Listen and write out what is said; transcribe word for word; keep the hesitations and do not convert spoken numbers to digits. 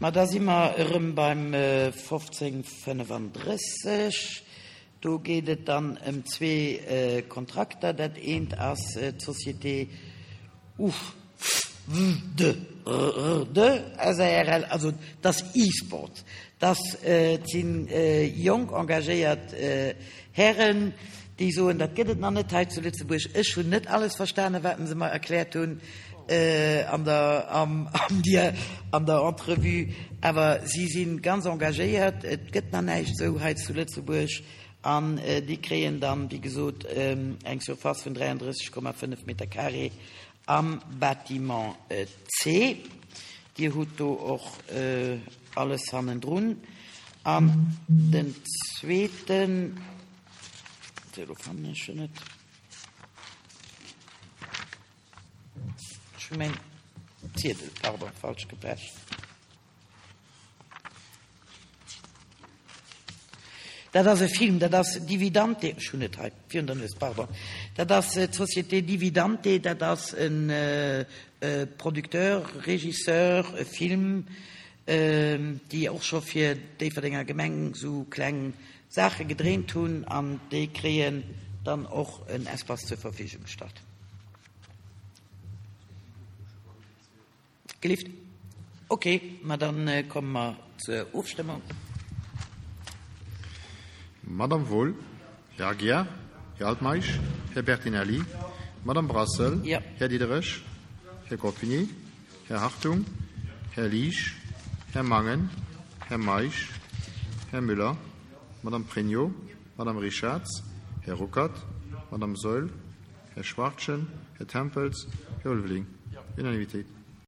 Ma da si mer erëm beim fofzéng fënnefandrësseg. Do geet et dann ëm zwee Kontrakter. Dat eent ass d'Société U F W D R D S A R L, also dat ass E-Sport. Dat si jonk engagéiert Hären, déi soen, dat gëtt et nach net hei zu Lëtzebuerg. Ech hunn net alles verstanen, wat se mer erkläert hunn an der, am, am der, an der Entrevue, awer si si ganz engagéiert. Et gëtt nach näischt esou hei zu Lëtzebuerg an déi kréien dann, wéi gesot, eng Surface vun dräiandrësseg Komma fënnef Meter carré am Bâtiment C. Dir hutt do och alles hannendrun. An den zweeten, elo fannen ech en net. Ech hu mäin Ziedel, pardon, falsch gepecht. Dat ass e Film, dat ass Dividante, ech hunn et hei virun der Nues, pardon. Dat ass d'Société Dividante, dat ass e Producteur, Regisseur, e Film, déi och scho fir d'Déifferdenger Gemeng esou kleng Saache gedréint hunn an déi kréien dann och en Espace zur Verfügung gestallt. Gelift? Okay, ma dann komme mer zur Ofstëmmung. Madame Wohl, Här Aguiar, Här Altmeisch, Här Bertinelli, Madame Brassel, Ja. Här Diderich, Här Goffinet, Här Hartung, Här Liesch, Här Mangen, Här Meisch, Här Müller, Madame Pregno, Madame Richarz, Här Ruckert, Madame Saeul, Här Schwachtgen, Här Tempels, Här Ulveling. Unanimité.